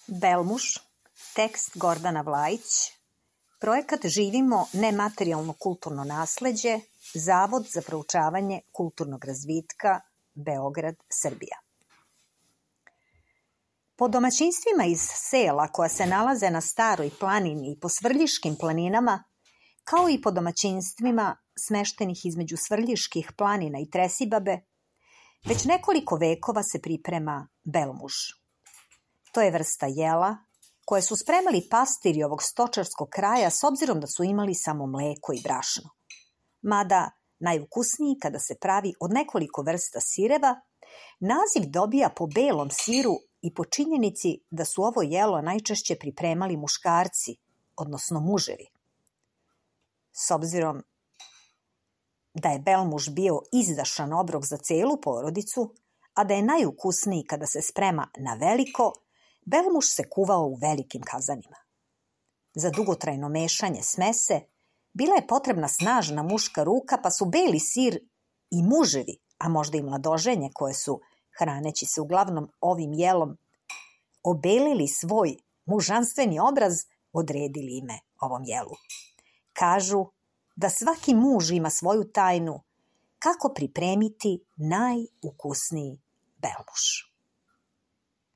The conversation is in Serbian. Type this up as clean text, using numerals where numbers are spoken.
Belmuž, tekst Gordana Vlajić, projekat Živimo nematerijalno kulturno nasleđe, Zavod za proučavanje kulturnog razvitka, Beograd, Srbija. Po domaćinstvima iz sela koja se nalaze na Staroj planini i po Svrljiškim planinama, kao i po domaćinstvima smeštenih između Svrljiških planina i Tresibabe, već nekoliko vekova se priprema belmuž. To je vrsta jela koje su spremali pastiri ovog stočarskog kraja s obzirom da su imali samo mleko i brašno. Mada najukusniji kada se pravi od nekoliko vrsta sireva, naziv dobija po belom siru i po činjenici da su ovo jelo najčešće pripremali muškarci, odnosno muževi. S obzirom da je belmuž bio izdašan obrok za celu porodicu, a da je najukusniji kada se sprema na veliko, belmuž se kuvao u velikim kazanima. Za dugotrajno mešanje smese bila je potrebna snažna muška ruka, pa su beli sir i muževi, a možda i mladoženje koje su, hraneći se uglavnom ovim jelom, obelili svoj mužanstveni obraz, odredili ime ovom jelu. Kažu da svaki muž ima svoju tajnu kako pripremiti najukusniji belmuž.